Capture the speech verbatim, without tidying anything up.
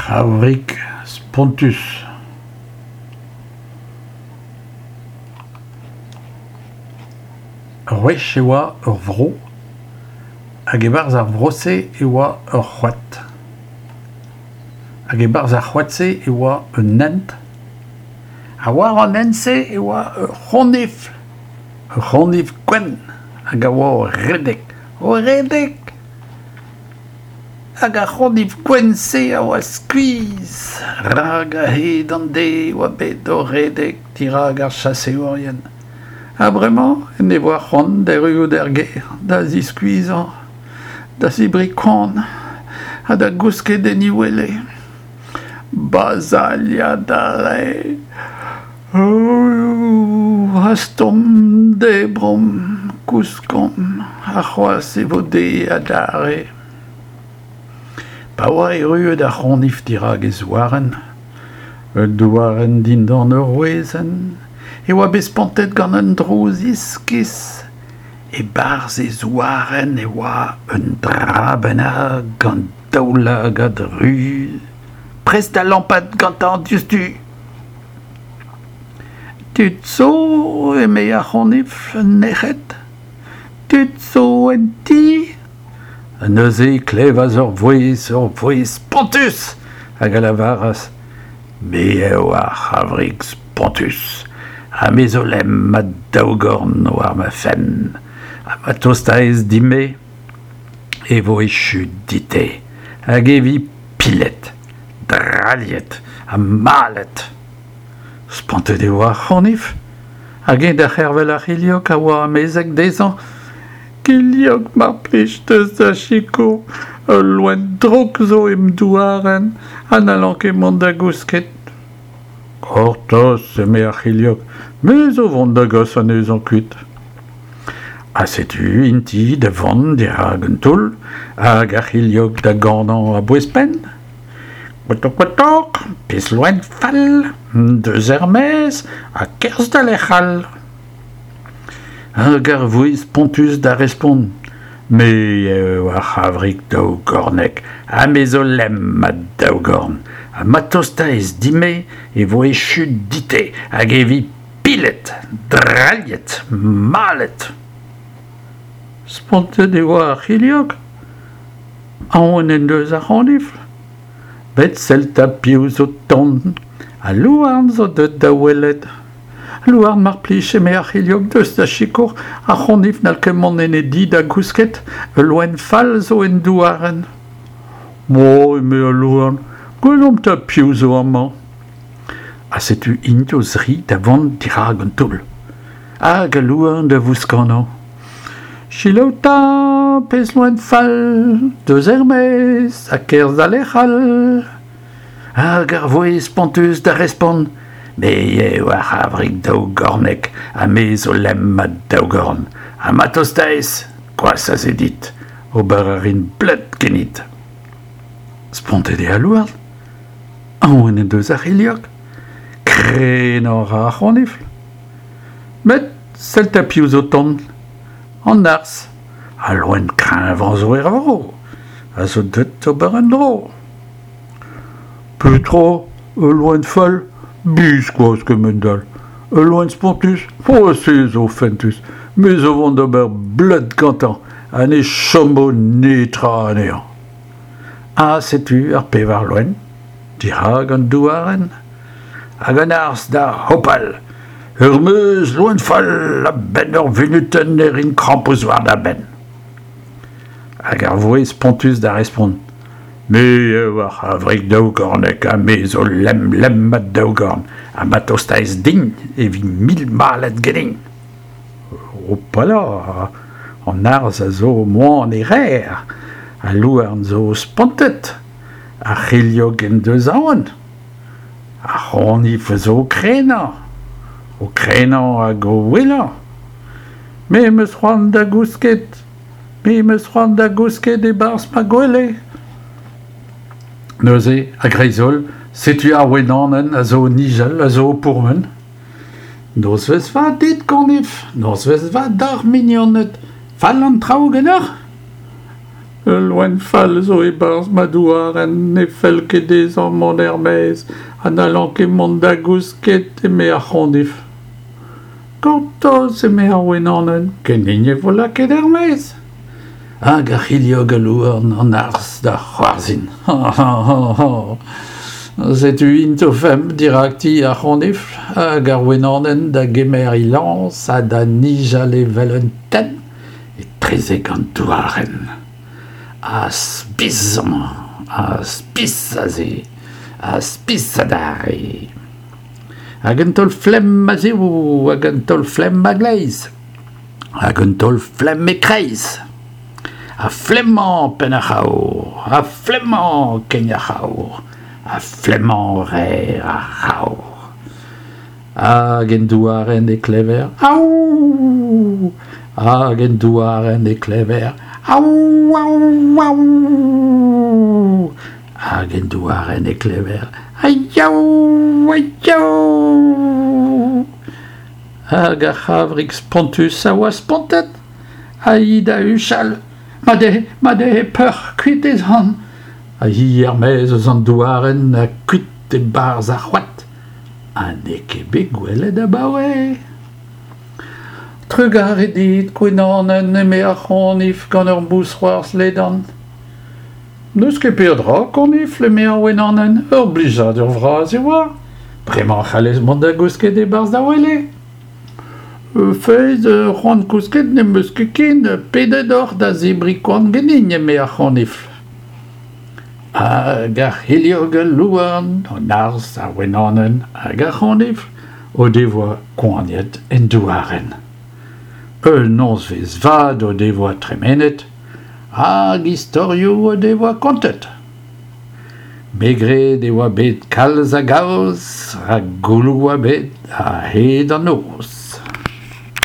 C'havrig Spontus. Ur wech e oa ur vro, hag e-barzh ar vro-se e oa ur c'hoad. Hag e-barzh ar c'hoad-se e oa un hent, ha war an hent-se e oa ur c'honifl, ur c'honifl gwenn hag a oa o redek, o redek. Hag ar c'honifl gwenn-se a oa skuizh, rak a-hed an deiz e oa bet o redek dirak ar chaseourien. Ha bremañ en devoa c'hoant d'erruout er gêr, da ziskuizhañ, da zebriñ koan ha da gousket en e wele. Bazailhat a rae. Hastomp, debromp, kouskomp, arc'hoazh e vo deiz adarre. Pa oa erruet ar c'honifl dirak e zouarenn, un douarenn dindan ur wezenn, e oa bet spontet gant un drouz iskis. E-barzh e zouarenn e oa un dra bennak gant daoulagad ruz, prest da lampat gantañ diouzhtu. Tud zo, eme ar c'honifl nec'het. Tud zo en ti. Ha neuze e klevas ur vouezh, ur vouezh spontus, hag a lavaras: Me eo ar c'havrig spontus, ha me zo lemm ma daougorn war ma fenn, ha ma tostaez din-me, e vo echu dit-te, hag e vi pilet, drailhet ha malet. Spontet e oa ar c'honifl, hag eñ da c'hervel ar c'hilhog a oa amezeg dezhañ. Kilhog, mar plij, deus da sikour, ul loen drouk zo em douarenn ha n'hallan ket mont da gousket. Gortoz, eme ar c'hilhog, me zo vont da gas anezhañ kuit. Ha setu int-i da vont dirak un toull, hag ar c'hilhog da ganañ a-bouez-penn. Kotok, kotok, pezh loen fall, deus er-maez ha kerzh da lec'h all. Hag ar vouezh spontus da respont: Me eo ar c'havrig daougornek, ha me zo lemm ma daougorn, ha ma tostaez din-me e vo echu dit-te hag e vi pilet, drailhet, malet. Spontet e oa ar c'hilhog. Aon en deus ar c'honifl. Bet sell 'ta piv zo tont, al louarn zo deuet da welet. Louarn, mar plij, eme ar c'hilhog, deus da sikour, ar c'honifl n'hall ket mont en e di da gousket, ul loen fall zo en douarenn. Mo, eme al louarn, gwelomp 'ta piv zo amañ. Ha setu int o-zri da vont dirak an toull. Hag al louarn da vouskanañ. Selaou 'ta, pezh loen fall, deus er-maez ha kerzh da lec'h all. Hag ar vouezh spontus da respont: Me eo ar c'havrig daougornek, ha me zo lemm ma daougorn, ha ma tostaez, gwazh a se dit, ober a rin bleud ganit. Spontet eo al louarn. Aon en deus ar c'hilhog. Krenañ a ra ar c'honifl. Met sell 'ta piv zo tont. An arzh, al loen kreñvañ zo er vro, a zo deuet d'ober un dro. Petra, ul loen fall? Biskoazh kement-all. Ul loen spontus? Oh, se zo fentus. Me zo vont d'ober bleud gantañ, ha ne chomo netra anezhañ. Ha setu ar pevar loen, dirak an douarenn, hag an arzh da hopal. Ur meuz loen fall, a-benn ur vunutenn e rin krampouezh war da benn. Hag ar vouezh spontus da respont: Me eo ar c'havrig daougornek, ha me zo lemm lemm ma daougorn, ha ma tostaez din e vi mil malet ganin. Hopala, an arzh a zo moan e rer, al louarn zo spontet, ar c'hilhog en deus aon, ar c'honifl zo o krenañ, o krenañ hag o ouelañ. Me 'm eus c'hoant da gousket, me 'm eus c'hoant da gousket e-barzh ma gwele. Neuze, a-greiz-holl, setu ar wenanenn a zo o nijal, a zo o pourmen. Nozvezh vat dit, konifl, nozvezh vat d'ar mignoned, fall an traoù ganeoc'h? Ul loen fall zo e-barzh ma douarenn, ne fell ket dezhañ mont er-maez ha n'hallan ket mont da gousket, eme ar c'honifl. Gortoz, eme ar wenanenn, ganin e vo lakaet er-maez. Hag ar c'hilhog, al louarn, an arzh da c'hoarzhin. Setu int o-femp dirak ti ar c'honifl hag ar wenanenn da gemer he lañs ha da nijal evel un tenn etrezek an douarenn. Ha spis amañ, ha spis aze, ha spis adarre. Hag un taol flemm a-zehou, hag un taol flemm a-gleiz, hag un taol flemm e-kreiz. Ha flemmañ penn ar c'havr, ha flemmañ kein ar c'havr, ha flemmañ reer ar c'havr. Hag en douarenn e klever Aou! Hag en douarenn e klever Aou, aou, aou! Hag en douarenn e klever Aiaou, aiaou! Hag ar c'havrig spontus a oa spontet, ha hi da huchal, Mat eo, mat eo, peuc'h, kuit ez an. Ha hi er-maez eus an douarenn ha kuit e-barzh ar c'hoad. Ha n'eo ket bet gwelet abaoe. Trugarez dit, gwenanenn, eme ar c'honifl gant ur mousc'hoarzh ledan. N'eus ket peadra, konifl, eme ar wenanenn, ur blijadur vras e oa. Bremañ c'hallez mont da gousket e-barzh da wele. Feiz, c'hoant kousket n'em eus ket ken, pedet oc'h da zebriñ koan ganin, eme ar c'honifl. Hag ar c'hilhog, al louarn, an arzh, ar wenanenn hag ar c'honifl o devoa koaniet en douarenn. Un nozvezh vat o devoa tremenet hag istorioù o devoa kontet. Me 'gred e oa bet kalz a gaoz rak gouloù oa bet a-hed an noz.